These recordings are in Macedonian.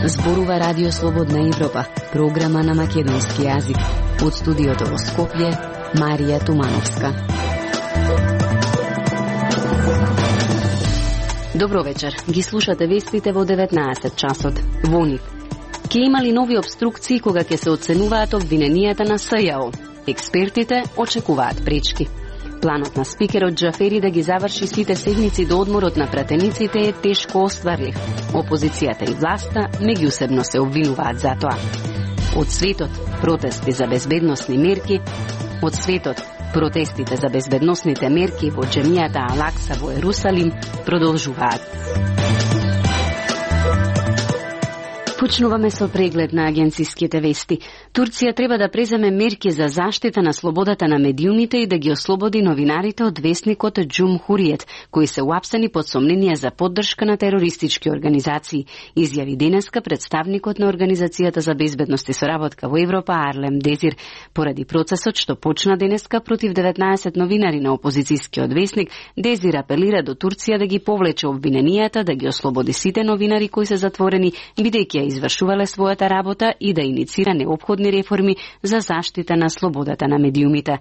Зборува Радио Слободна Европа, програма на македонски јазик. Од студиото во Скопје, Марија Тумановска. Добро вечер. Ги слушате вестите во 19 часот. Во нив. Ке имали нови обструкции кога ќе се оценуваат обвиненијата на СЈО. Експертите очекуваат пречки. Планот на спикерот Џафери да ги заврши сите седмици до одморот на пратениците е тешко остварлив. Опозицијата и власта меѓусебно се обвинуваат за тоа. Од светот протести за безбедносни мерки, од светот протестите за безбедносните мерки во џемијата Ал-Акса во Ерусалим продолжуваат. Почнуваме со преглед на агенциските вести. Турција треба да преземе мерки за заштита на слободата на медиумите и да ги ослободи новинарите од весникот Џумхуриет, кои се уапсени под сомнение за поддршка на терористички организации, изјави денеска представникот на Организацијата за безбедност и соработка во Европа Арлем Дезир, поради процесот што почна денеска против 19 новинари на опозицијскиот весник. Дезир апелира до Турција да ги повлече обвиненијата, да ги ослободи сите новинари кои се затворени, бидејќи извршувале својата работа и да иницира неопходни реформи за заштита на слободата на медиумите.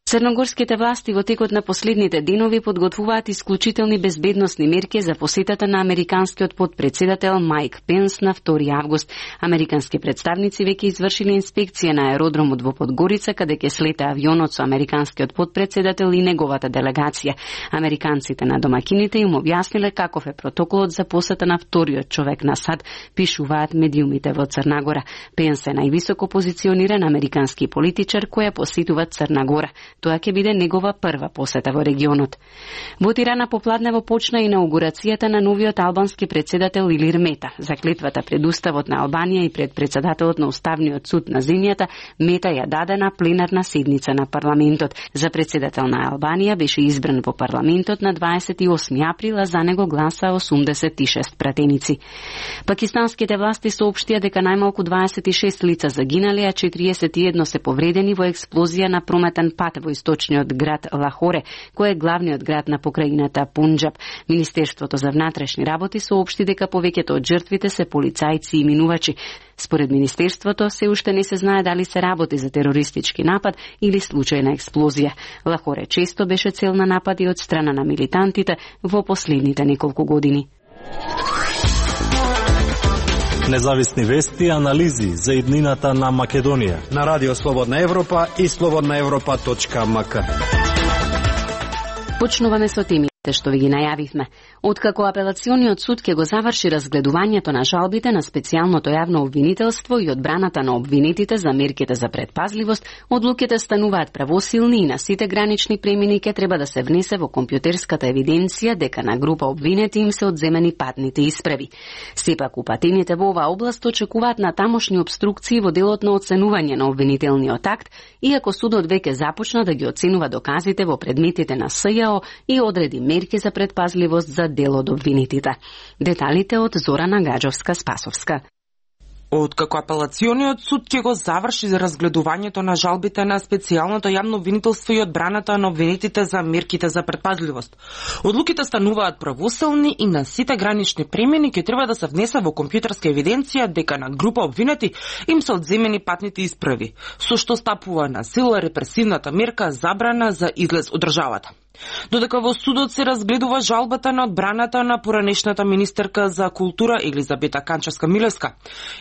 Црногорските власти во текот на последните денови подготвуваат исклучителни безбедносни мерки за посетата на американскиот подпредседател Мајк Пенс на 2 август. Американски представници веќе извршиле инспекција на аеродромот во Подгорица, каде ќе слета авионот со американскиот подпредседател и неговата делегација. Американците на домакините им објасниле каков е протоколот за посета на вториот човек на САД, пишуваат медиумите во Црна Гора. Пенс е највисоко позициониран американски политичар кој посетува Црна Гора. Тоа ќе биде негова прва посета во регионот. Во Тирана попладнево почна инаугурацијата на новиот албански председател Илир Мета. За клетвата пред Уставот на Албанија и пред председателот на Уставниот суд на земјата, Мета ја даде на пленарна седница на парламентот. За председател на Албанија беше избран во парламентот на 28 април, а за него гласа 86 пратеници. Пакистанските власти соопштија дека најмалку 26 лица загинале, а 41 се повредени во експлозија на прометен пат во источниот град Лахоре, кој е главниот град на покрајината Пунџаб. Министерството за внатрешни работи соопшти дека повеќето од жртвите се полицајци и минувачи. Според Министерството, се уште не се знае дали се работи за терористички напад или случајна експлозија. Лахоре често беше цел на напади од страна на милитантите во последните неколку години. Независни вести и анализи за иднината на Македонија на Радио Слободна Европа и slobodnaevropa.mk. Почнуваме со темите што ви ги најавивме. Откако апелациониот суд ќе го заврши разгледувањето на жалбите на специјалното јавно обвинителство и одбраната на обвинетите за мерките за предпазливост, одлуките стануваат правосилни и на сите гранични премини ќе треба да се внесе во компјутерската евиденција дека на група обвинети им се одземени патните исправи. Сепак упатените во оваа област очекуваат на тамошни обструкции во делот на оценување на обвинителниот акт, иако судот веќе започна да ги оценува доказите во предметите на СЈО и одреди мерки за предпазливост за дел од обвинетите. Деталите од Зорана Гаджовска-Спасовска. Откако апелациониот суд ќе го заврши за разгледувањето на жалбите на специјалното јавно обвинителство и одбраната на обвинетите за мерките за предпазливост, одлуките стануваат правосилни и на сите гранични премини ќе треба да се внесе во компјутерска евиденција дека на група обвинети им се одземени патните исправи, со што стапува на сила репресивната мерка забрана за излез од државата. Додека во судот се разгледува жалбата на одбраната на поранешната министерка за култура Елизабета Канчевска-Милевска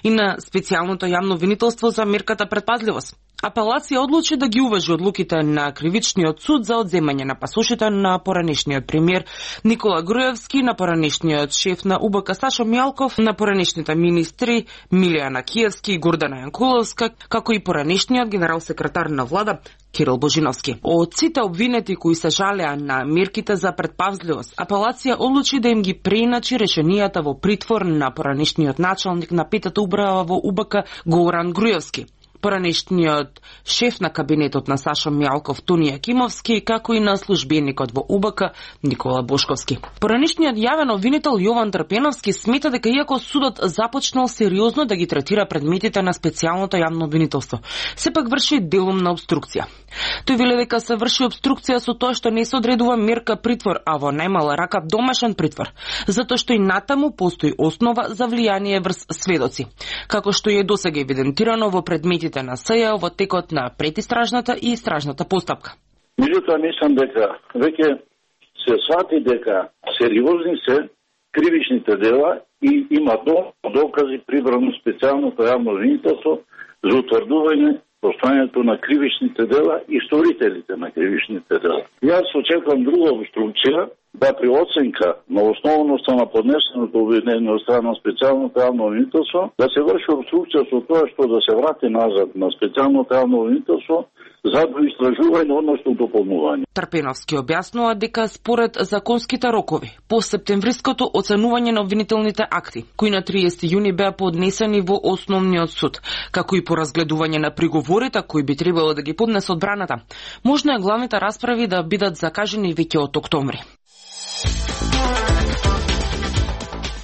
и на специјалното јавно обвинителство за мерката предпазливост, апелација одлучи да ги уважи одлуките на кривичниот суд за одземање на пасошите на поранешниот премиер Никола Груевски, на поранешниот шеф на УБК Сашо Мијалков, на поранешните министри Милијана Киевски и Гордана Јанкуловска, како и поранешниот генерал секретар на влада Кирил Божиновски. Од сите обвинети кои се жалеа на мерките за предпазливост, апелација одлучи да им ги преиначи решенијата во притвор на поранешниот началник на петата управа во УБК Горан Груевски. Поранешниот шеф на кабинетот на Сашо Мјалков Тони Јакимовски, како и на службеникот во УБК Никола Бошковски. Поранешниот јавен обвинител Јован Трпеновски смета дека иако судот започнал сериозно да ги третира предметите на специјалното јавно обвинителство, сепак врши делумна обструкција. Тој веле дека се врши обструкција со тоа што не се одредува мерка притвор, а во најмала рака домашен притвор, затоа што и натаму постои основа за влијание врз сведоци, како што е досега евидентирано во предметите на СЈ во текот на предистражната и истражната постапка. Меѓутоа, мислам дека веќе се свати дека сериозни се кривичните дела и има докази прибрано специјалното јавно обвинителство за утврдување постојањето на кривичните дела и сторителите на кривичните дела. Јас очекувам друга обструкција, да при оценка на основноста на поднесеното обвинение од страна на специјалното јавно обвинителство, да се врши обструкција со тоа што да се врати назад на специјалното јавно обвинителство за доистражување, односно дополнување. Трпеновски објаснува дека според законските рокови по септемвриското оценување на обвинителните акти, кои на 30 јуни беа поднесени во Основниот суд, како и по разгледување на приговорите кои би требало да ги поднесе одбраната, можно е главните расправи да бидат закажени веќе од октомври.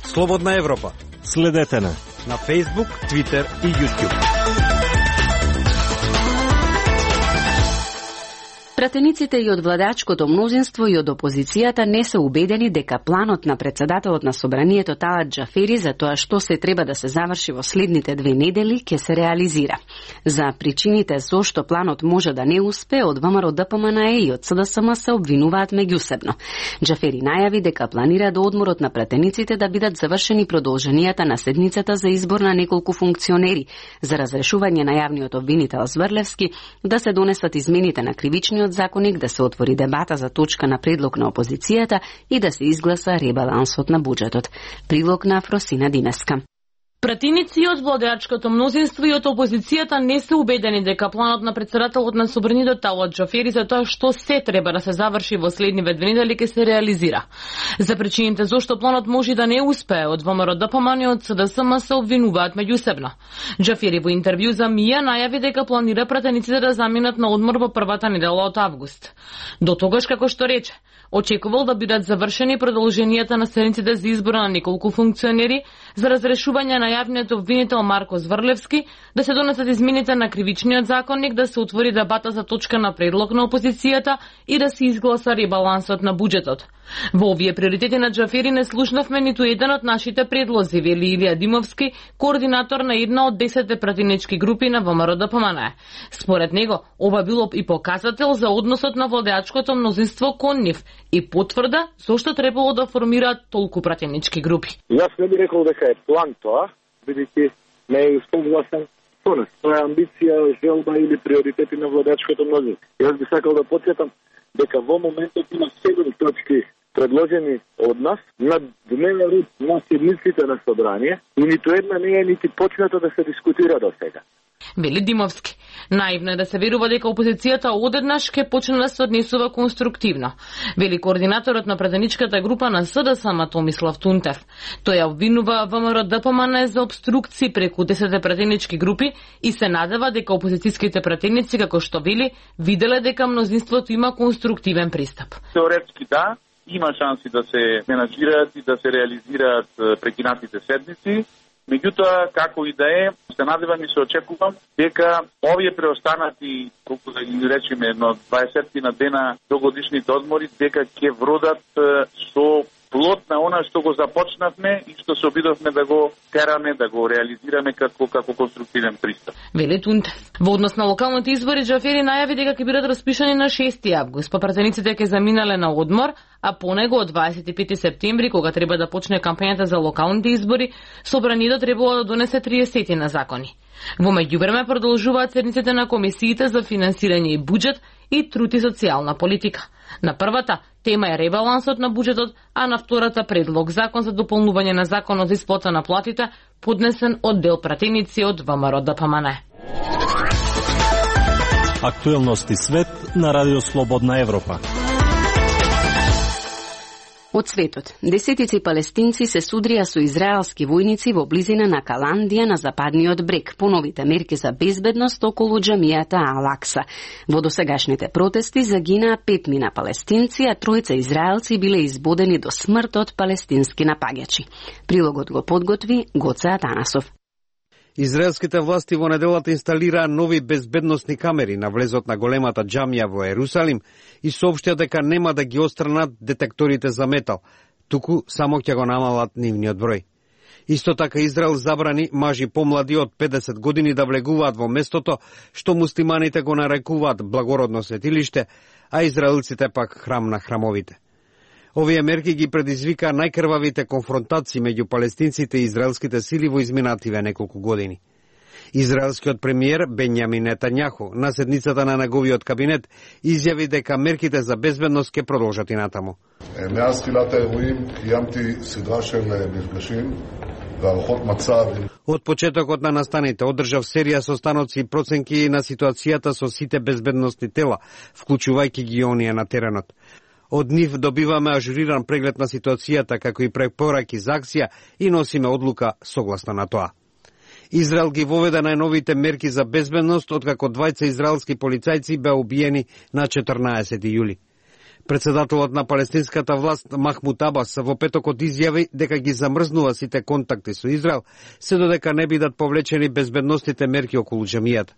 Слободна Европа. Следете на Facebook, Twitter и YouTube. Пратениците и од владачкото мнозинство и од опозицијата не се убедени дека планот на председателот на Собранието Талат Џафери за тоа што се треба да се заврши во следните 2 недели ќе се реализира. За причините зошто планот може да не успе, од ВМРО ДПМНЕ и од СДСМ се обвинуваат меѓусебно. Џафери најави дека планира до одморот на пратениците да бидат завршени продолженијата на седницата за избор на неколку функционери, за разрешување на јавниот обвинител Зврлевски, да се донесат измените на кривичниот законник, да се отвори дебата за точка на предлог на опозицијата и да се изгласа ребалансот на буџетот. Прилог на Фросина Димеска. Пратеници од владеачкото мнозинство и од опозицијата не се убедени дека планот на председателот на Собранието Талат Џафери за тоа што се треба да се заврши во следниве 2 недели ќе се реализира. За причините зошто планот може да не успее, од ВМРО ДПМНЕ и од СДСМ се обвинуваат меѓусебно. Џафери во интервју за МИА најави дека планира пратениците да заминат на одмор во првата недела од август. До тогаш, како што рече, очекувал да бидат завршени продолженијата на седниците за избора на неколку функционери, за разрешување на јавниот обвинител Марко Зврлевски, да се донесат измените на кривичниот законник, да се отвори дебата за точка на предлог на опозицијата и да се изгласа ребалансот на буџетот. Во овие приоритети на Џафери не слушнавме ниту еден од нашите предлози, вели Илија Димовски, координатор на една од 10 пратенички групи на ВМРО ДПМНЕ. Според него, ова било и показател за односот на владеачкото мнозинство кон нив и потврда зошто требало да формираат толку пратенички групи. Јас не би рекол дека е план тоа, бидејќи не е согласен со нас. Тоа е амбиција, желба или приоритети на владеачкото мнозинство. Јас би сакал да потсетам дека во моментот има 7 точки предложени од нас на дневен ред на седниците на собрание и ниту една не е нити почната да се дискутира до сега. Вели Димовски. Наивно е да се верува дека опозицијата одеднаш ќе почне да се однесува конструктивно. Вели координаторот на пратеничката група на СДСМ Томислав Тунтев. Тој ја обвинува ВМРО ДПМНЕ за обструкции преку 10 пратенички групи и се надева дека опозицијските пратеници, како што вели, виделе дека мнозинството има конструктивен пристап. Теоретски да, има шанси да се менаџираат и да се реализираат прекинатите седници. Меѓутоа, како и да е, се надевам и се очекувам дека овие преостанати, колку да ги речеме, едно 20 на дена до годишните одмори, дека ќе вродат со плод на она што го започнавме и што се обидовме да го тераме, да го реализираме како конструктивен пристап. Вели Тунтев. Во однос на локалните избори, Џафери најави дека ќе бидат распишани на 6 август, па пратениците ќе заминале на одмор, а по него од 25 септември, кога треба да почне кампањата за локалните избори, Собранието требало да донесе 30 на закони. Во меѓувреме продолжуваат седниците на комисиите за финансирање и буџет и труд и социјална политика. На првата тема е ребалансот на буџетот, а на втората предлог закон за дополнување на законот за исплата на платите, поднесен од дел пратеници од ВМРО ДПМНЕ. Актуелности свет на Радио Слободна Европа. Од светот, десетици палестинци се судрија со израелски војници во близина на Каландија на западниот брег по новите мерки за безбедност околу џамијата Ал-Акса. Во досегашните протести загинаа 5 палестинци, а 3 израелци биле избодени до смрт од палестински напаѓачи. Прилогот го подготви Гоце Атанасов. Израелските власти во неделата инсталираа нови безбедносни камери на влезот на големата џамија во Ерусалим и соопштија дека нема да ги отстранат детекторите за метал, туку само ќе го намалат нивниот број. Исто така Израел забрани мажи помлади од 50 години да влегуваат во местото што муслиманите го нарекуваат благородно светилиште, а израелците пак храм на храмовите. Овие мерки ги предизвика најкрвавите конфронтации меѓу палестинците и израелските сили во изминативе неколку години. Израелскиот премиер Бенјамин Нетањаху на седницата на неговиот кабинет изјави дека мерките за безбедност ќе продолжат и натаму. מאז תחילת האירועים קיימתי סדרה של מפגשים והערכות מצב. Од почетокот на настаните одржав серија состаноци и проценки на ситуацијата со сите безбедносни тела, вклучувајќи ги оние на теренот. Од нив добиваме ажуриран преглед на ситуацијата, како и препораки за акција и носиме одлука согласно на тоа. Израел ги воведе најновите мерки за безбедност, откако 2 израелски полицајци беа убиени на 14 јули. Председателот на палестинската власт Махмуд Абас во петокот изјави дека ги замрзнува сите контакти со Израел, се додека не бидат повлечени безбедносните мерки околу џамијата.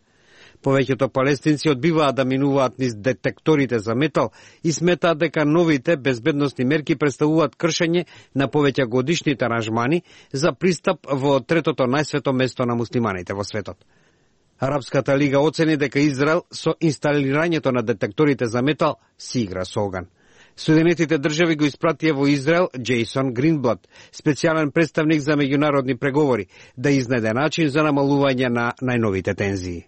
Повеќето палестинци одбиваат да минуваат низ детекторите за метал и сметаат дека новите безбедносни мерки представуваат кршење на повеќе годишните аранжмани за пристап во третото најсвето место на муслиманите во светот. Арапската лига оцени дека Израел со инсталирањето на детекторите за метал си игра со оган. Соединетите држави го испратија во Израел Джейсон Гринблад, специјален представник за меѓународни преговори, да изнајде начин за намалување на најновите тензии.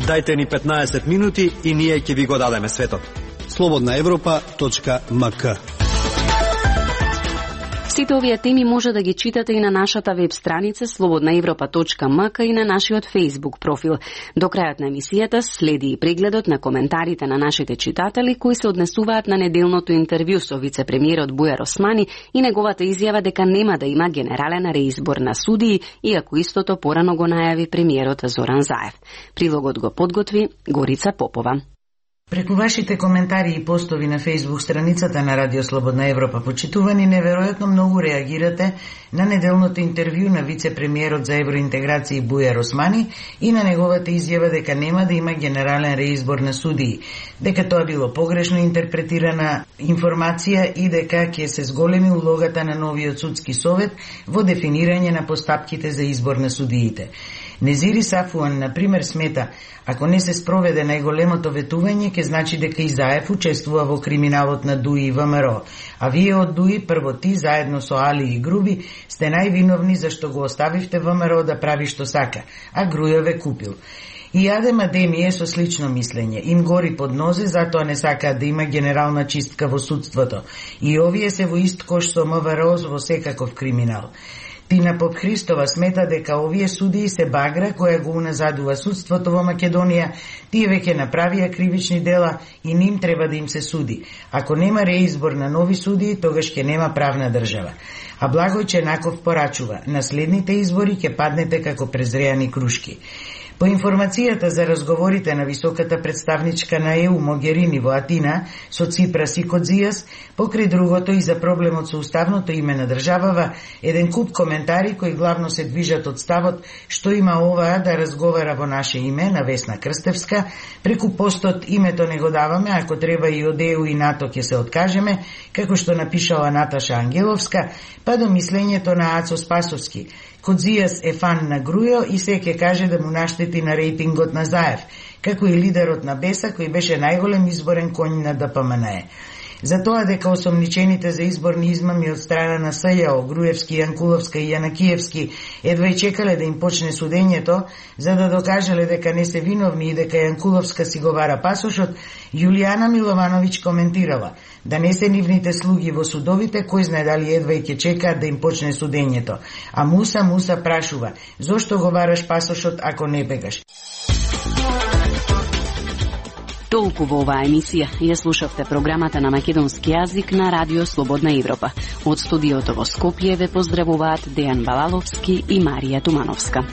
Дајте ни 15 минути и ние ќе ви го дадеме светот. slobodnaevropa.mk. Сите овие теми може да ги читате и на нашата веб страница slobodnaevropa.mk и на нашиот Facebook профил. До крајот на емисијата следи и прегледот на коментарите на нашите читатели кои се однесуваат на неделното интервју со вице-премиерот Бујар Османи и неговата изјава дека нема да има генерален реизбор на судии, иако истото порано го најави премиерот Зоран Заев. Прилогот го подготви Горица Попова. Преку вашите коментари и постови на Facebook страницата на Радио Слободна Европа, почитувани, неверојатно многу реагирате на неделното интервју на вице-премиерот за евроинтеграција Бујар Османи и на неговата изјава дека нема да има генерален реизбор на судии, дека тоа било погрешно интерпретирана информација и дека ќе се зголеми улогата на новиот судски совет во дефинирање на постапките за избор на судиите. Незири Сафуан, например, смета, ако не се спроведе најголемото ветување, ќе значи дека и Заев учествува во криминалот на ДУИ и ВМРО, а вие од ДУИ, прво ти, заедно со Али и Груби, сте највиновни зашто го оставивте ВМРО да прави што сака, а Грујо ве купил. И Адем Адеми е со слично мислење. Им гори под нозе, затоа не сакаат да има генерална чистка во судството. И овие се во ист кош со МВР во секаков криминал. Тина Попхристова смета дека овие судии се багра која го уназадува судството во Македонија, тие веќе направија кривични дела и ним треба да им се суди. Ако нема реизбор на нови судии, тогаш ќе нема правна држава. А Благој Ченаков порачува, на следните избори ќе паднете како презреани крушки. По информацијата за разговорите на високата представничка на ЕУ Могерини во Атина со Ципрас и Кодзијас, покрај другото и за проблемот со уставното име на државава, еден куп коментари кои главно се движат од ставот што има оваа да разговара во наше име на Весна Крстевска, преку постот името не го даваме, ако треба и од ЕУ и НАТО ќе се откажеме, како што напишала Наташа Ангеловска, па до мислењето на Ацо Спасовски. Кодзијас е фан на Грујо и се ќе каже да му наштети на рейтингот на Заев, како и лидерот на Беса, кој беше најголем изборен конј на ДПМНЕ. За тоа дека осомничените за изборни измами од страна на СЈО, Груевски, Јанкуловска и Јанакиевски едва и чекале да им почне судењето, за да докажале дека не се виновни и дека Јанкуловска си го вара пасошот, Јулијана Миловановиќ коментирала: да не се нивните слуги во судовите, кој знае дали едва и ќе чекаат да им почне судењето. А Муса прашува: зошто го вараш пасошот ако не бегаш? Толку во оваа емисија. Ја слушавте програмата на македонски јазик на Радио Слободна Европа. Од студиото во Скопје ве поздравуваат Дејан Балаловски и Марија Тумановска.